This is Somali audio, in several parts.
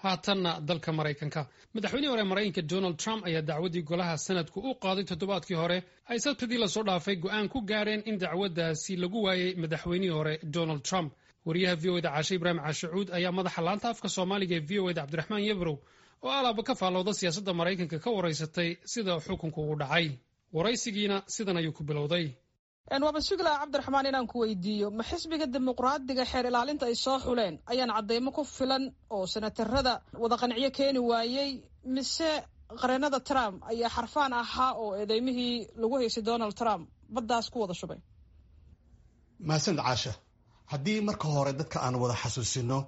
Haatanna dalka Maraykanka, madaxweynihii hore Maraykanka Donald Trump ayaa dacwaddii golaha Sanadku u qaaday toddobaadkii hore ay Sabtidii lasoo dhaafay go'aan ku gaareen in dacwaddaasi lagu waayey madaxweynihii hore Donald Trump. Wariyaha VOA-da Caashe Ibraahim Caashacuud ayaa madaxa laanta afka Soomaaliga ee VOA-da Cabdiraxmaan Yebrow, oo alaaba ka faallooda siyaasadda Maraykanka, ka waraysatay sida xukunku ugu dhacay. Waraysigiina sidan ayuu ku bilowday. Waaba sugi lahaa, Cabdiraxmaan, inaan ku weydiiyo: ma xisbiga Dimuqraadiga xeer ilaalinta ay soo xuleen ayaan caddaymo ku filan oo senatarada wada qanciyo keeni waayey, mise qareenada Trump ayaa xarfaan ahaa oo eedeymihii lagu haysay Donald Trump baddaas ku wada shubay? Mahadsanid, Caasha. Haddii marka hore dadka aan wada xasuusino,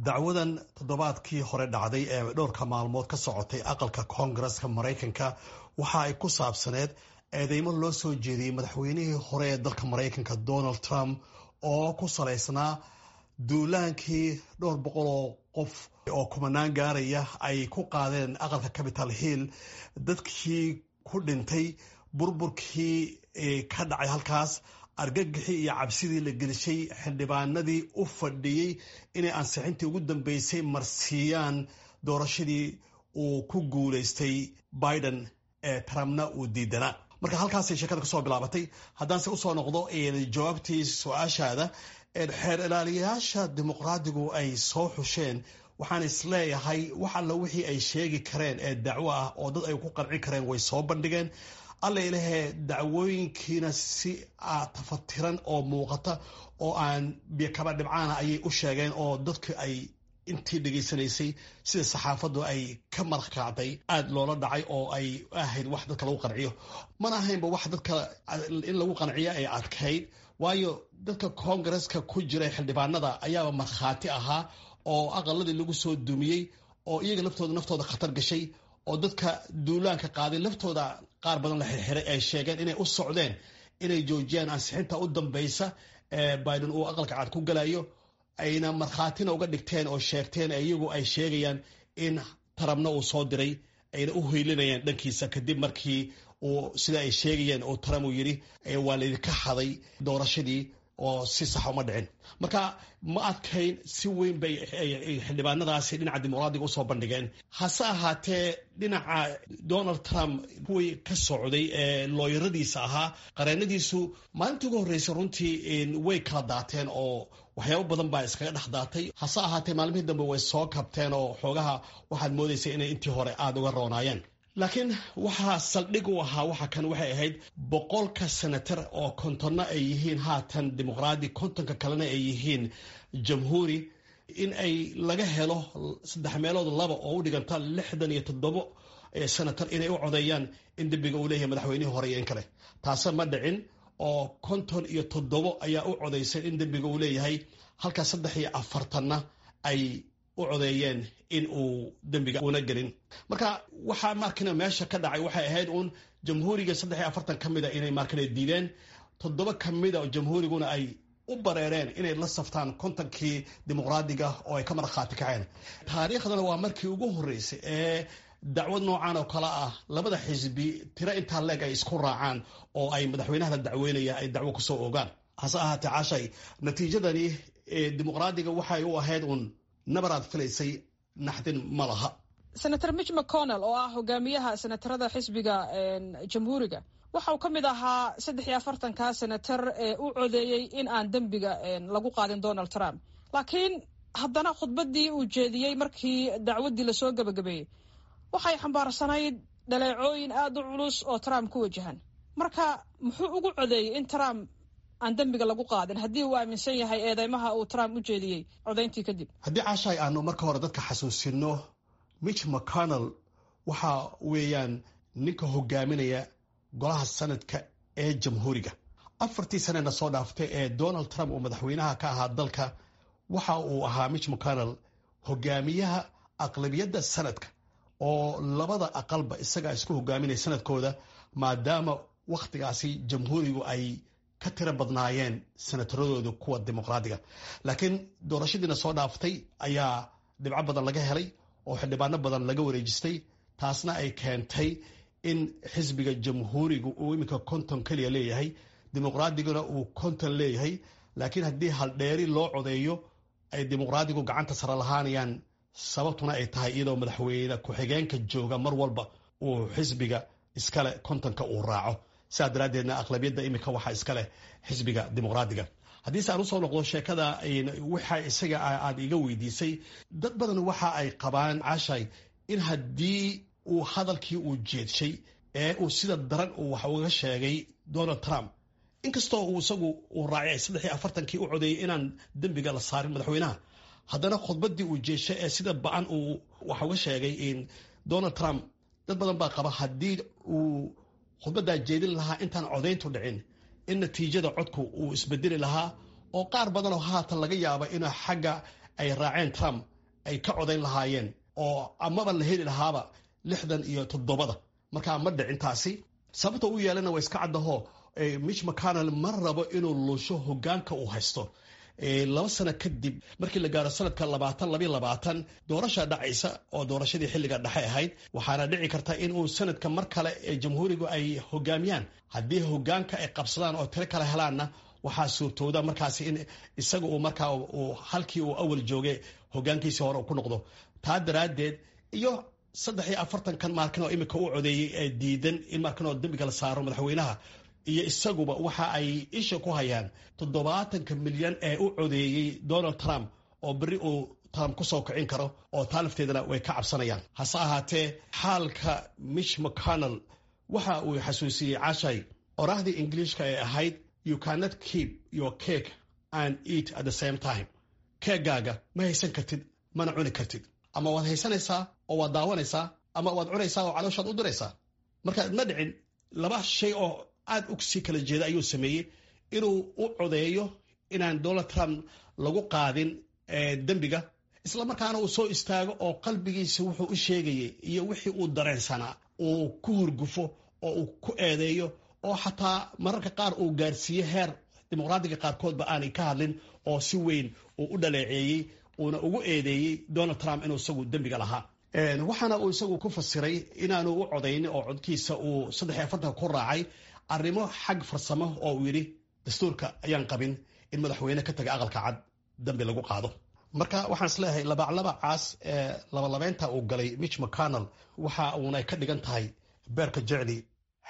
dacwadan toddobaadkii hore dhacday ee dhowrka maalmood ka socotay aqalka Koongareska Maraykanka waxa ay ku saabsaneed eedeymo loo soo jeediyey madaxweynihii hore ee dalka Maraykanka Donald Trump, oo ku salaysnaa duulaankii dhowr boqol oo qof oo kumanaan gaaraya ay ku qaadeen aqalka Capitol Hill, dadkii ku dhintay, burburkii ka dhacay halkaas, argagixii iyo cabsidii la gelishay xildhibaanadii u fadhiyey inay ansixintii ugu dambeysay marsiiyaan doorashadii uu ku guulaystay Biden ee Trumpna uu diidanaa. Marka halkaasay sheekada kasoo bilaabatay. Haddaanse usoo noqdo jawaabtii su-aashaada, xeer ilaaliyayaasha Dimuqraadigu ay soo xusheen, waxaan isleeyahay wax alla wixii ay sheegi kareen ee dacwo ah oo dad ay ku qanci kareen way soo bandhigeen. Alla ilahee, dacwooyinkiina si tafatiran oo muuqata oo aan biyokaba dhibcaana ayay u sheegeen, oo dadku ay intii dhegaysanaysay sida saxaafaddu ay ka marqaacday aada loola dhacay, oo ay ahayd wax dadka lagu qanciyo. Mana ahaynba wax dadka in lagu qanciyo ay adkayd, waayo dadka Koongareska ku jira xildhibaanada ayaaba markhaati ahaa oo aqaladii lagu soo dumiyey, oo iyaga laftooda naftooda khatar gashay, oo dadka duulaanka qaaday laftooda qaar badan la xirxiray ay sheegeen inay u socdeen inay joojiyaan ansixinta u dambeysa ee Biden uu aqalka Cad ku galayo, ayna markhaatina uga dhigteen oo sheegteen iyagu ay sheegayaan in Trumpna uu soo diray, ayna u hoylinayaan dhankiisa, kadib markii uu, sida ay sheegayeen, uu Trump uu yidhi waa laydinka xaday doorashadii oo si sax uma dhicin. Marka ma adkayn, si weyn bay xildhibaanadaasi dhinaca Dimuqraadiga usoo bandhigeen. Hase ahaatee, dhinaca Donald Trump kuwii ka socday ee looyaradiisa ahaa, qareenadiisu, maalintii ugu horreysay runtii way kala daateen oo waxyaabo badan baa iskaga dhex daatay. Hase ahaatee, maalmihii dambe way soo kabteen oo xoogaha waxaad moodaysay inay intii hore aada uga roonaayeen. Laakiin waxaa saldhig u ahaa waxa kan waxay ahayd 100-ka senatar oo 50-na ay yihiin haatan Dimuqraadi, 50-ka kalena ay yihiin Jamhuuri, in ay laga helo saddex meelood laba oo u dhiganta 67 senatar inay u codeeyaan in dembiga uu leeyahay madaxweynihii hore iyo in kale. Taase ma dhicin, oo 57 ayaa u codeysay in dembiga uu leeyahay, halka 43-na ay u codeeyeen in uu dembiga una gelin. Marka waxaa markina meesha ka dhacay waxay ahayd uun Jamhuuriga 43 ka mida inay markina diideen, toddoba ka mida Jamhuuriguna ay u bareereen inay la saftaan 50-kii Dimuqraadiga oo ay ka markhaati kaceen. Taariikhdana waa markii ugu horreysay ee dacwad noocan oo kale ah labada xisbi tiro intaa leeg ay isku raacaan oo ay madaxweynaha la dacweynaya ay dacwo kusoo ogaan. Hase ahaatee, Cashay, natiijadani Dimuqraadiga waxay u ahayd uun nabaraad filaysay, naxdin ma laha. Senator Mitch McConnell, oo ah hogaamiyaha senatarada xisbiga Jamhuuriga, waxa uu ka mid ahaa 43-ka senatar ee u codeeyey in aan dembiga lagu qaadin Donald Trump. Laakiin haddana khudbaddii uu jeediyey markii dacwaddii lasoo gebagabeeyey waxay xambaarsanayd dhaleecooyin aada u culus oo Trump ku wajahan. Marka muxuu ugu codeeyey in Trump aan dembiga lagu qaadin haddii uu aaminsan yahay eedeymaha uu Trump u jeediyey codayntii kadib? Haddii, Caashaay, aanu marka hore dadka xasuusino, Mitch McConnell waxa weeyaan ninka hogaaminaya golaha Sanadka ee Jamhuuriga. 4-tii sanena soo dhaaftay ee Donald Trump uu madaxweynaha ka ahaa dalka, waxa uu ahaa Mitch McConnell hogaamiyaha aqlabiyadda Sanadka, oo labada aqalba isagaa isku hogaaminaya sanadkooda, maadaama wakhtigaasi Jamhuurigu ay ka tiro badnaayeen senataradooda kuwa Dimuqraadiga. Laakiin doorashadiina soo dhaaftay ayaa dhibco badan laga helay oo xildhibaano badan laga wareejistay, taasna ay keentay in xisbiga Jamhuurigu uu iminka 50 keliya leeyahay, Dimuqraadiguna uu 50 leeyahay. Laakiin haddii haldheeri loo codeeyo, ay Dimuqraadigu gacanta sare lahaanayaan. Sababtuna ay tahay iyadoo madaxweyne ku-xigeenka jooga mar walba uu xisbiga iskale 50-ka uu raaco. Sidaa daraaddeedna aqlabiyadda iminka waxaa iskaleh xisbiga Dimuqraadiga. Haddiise aan usoo noqdo sheekada waxa isaga aad iga weydiisay, dad badan waxa ay qabaan, Caashay, in haddii uu hadalkii uu jeedshay ee uu sida daran uu wax uga sheegay Donald Trump, inkastoo uu isagu uu raacay 43-kii u codeeyey inaan dembiga la saarin madaxweynaha, haddana khudbaddii uu jeeshay ee sida ba-an uu wax uga sheegay Donald Trump, dad badan baa qaba haddii uu khudbaddaa jeedin lahaa intaan codayntu dhicin, in natiijada codku uu isbedeli lahaa oo qaar badanoo haatan laga yaaba inuu xagga ay raaceen Trump ay ka codayn lahaayeen oo amaba la heli lahaaba 67-da. Markaa ma dhicin taasi. Sababta u yeelana waa iska caddaho, Mitch McConnell ma rabo inuu luusho hogaanka uu haysto. 2 sano kadib markii la gaaro sanadka 2022 doorasha dhacaysa oo doorashadii xilliga dhexe ahayd, waxaana dhici karta in uu sanadka mar kale ee Jamhuurigu ay hogaamiyaan. Haddii hogaanka ay qabsadaan oo tiro kale helaanna, waxaa suurtooda markaasi in isaga uu markaa halkii uu awal joogay hogaankiisii hore ku noqdo. Taa daraaddeed iyo 43-kan maarkin oo imika u codeeyey ee diidan in maarkin oo dembiga la saaro madaxweynaha iyo isaguba, waxa ay isha ku hayaan 70-ka milyan ee u codeeyey Donald Trump oo berri uu Trump kusoo kicin karo, oo taa lafteedana way ka cabsanayaan. Hase ahaatee, xaalka Mitch McConnell waxa uu xasuusiyey, Cashay, oraahdii Ingiliishka ee ahayd "You cannot keep your cake and eat at the same time." Keegaaga ma haysan kartid mana cuni kartid. Ama waad haysanaysaa oo waad daawanaysaa, ama waad cunaysaa oo calooshaad u diraysaa. Marka ma dhicin, laba shay oo aad u sii kala jeeda ayuu sameeyey: inuu u codeeyo inaan Donald Trump lagu qaadin dembiga, isla markaana uu soo istaago oo qalbigiisa wuxuu u sheegayay iyo wixii uu dareensanaa uu ku hurgufo oo uu ku eedeeyo, oo xataa mararka qaar uu gaarsiiye heer Dimuqraadiga qaarkoodba aanay ka hadlin, oo si weyn uu u dhaleeceeyey uuna ugu eedeeyey Donald Trump inuu isagu dembiga lahaa. Waxaana uu isagu ku fasiray inaanu u codaynin oo codkiisa uu 43-ka ku raacay arrimo xag farsamo, oo uu yidhi dastuurka ayaan qabin in madaxweyne ka taga Aqalka Cad dambi lagu qaado. Marka waxaan isleeyahay labaclabacaas ee labalabeynta uu galay Mitch McConnell waxa uuna ka dhigan tahay beerka jecli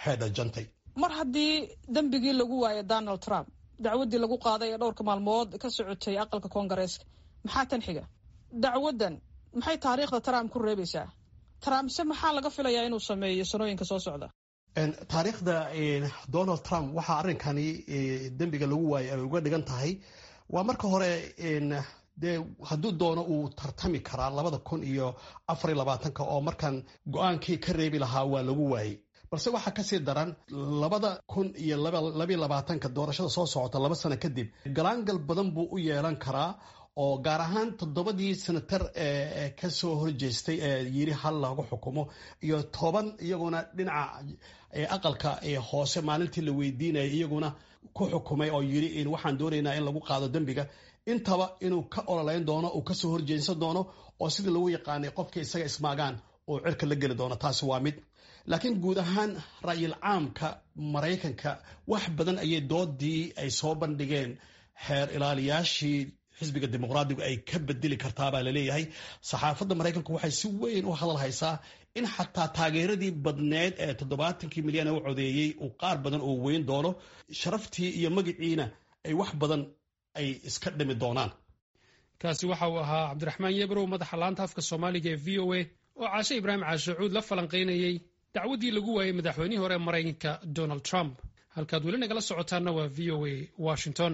xeedha jantay. Mar haddii dembigii lagu waayay Donald Trump, dacwaddii lagu qaaday ee dhowrka maalmood ka socotay aqalka Koongareeska, maxaa tan xiga? Dacwaddan maxay taariikhda Trump ku reebaysaa? Trump se maxaa laga filayaa inuu sameeyo sanooyinka soo socda? Taariikhda Donald Trump waxaa arrinkani dembiga lagu waayay ay uga dhigan tahay waa marka hore, dee hadduu doono uu tartami karaa 2024-ka, oo markan go-aankii ka reebi lahaa waa lagu waayey. Balse waxaa kasii daran, 2022-ka doorashada soo socota, 2 sano kadib, galaangal badan buu u yeelan karaa, oo gaar ahaan toddobadii senatar ee kasoo horjeestay ee yiri hal lagu xukumo, iyo 10 iyaguna dhinaca aqalka hoose maalintii la weydiinayay iyaguna ku xukumay oo yiri in waxaan doonaynaa in lagu qaado dembiga, intaba inuu ka ololeyn doono, uu kasoo horjeedsan doono, oo sidii lagu yaqaanay qofka isaga ismaagaan uu cirka la geli doono. Taasi waa mid. Laakiin guud ahaan ra'yil caamka Maraykanka wax badan ayay doodii ay soo bandhigeen xeer ilaaliyaashii xisbiga Dimuqraadigu ay ka bedeli kartaabaa laleeyahay. Saxaafadda Maraykanku waxay si weyn u hadal haysaa in xataa taageeradii badneed ee 70-kii milyan u codeeyey uu qaar badan oo weyn doono, sharaftii iyo magiciina ay wax badan ay iska dhimi doonaan. Kaasi waxa uu ahaa Cabdiraxmaan Yebrow, madaxa laanta afka Soomaaliga ee VOA, oo Caashe Ibraahim Caashacuud la falanqaynayey dacwaddii lagu waayey madaxweynihii hore Maraykanka Donald Trump. Halkaad weli nagala socotaanna waa VOA Washington.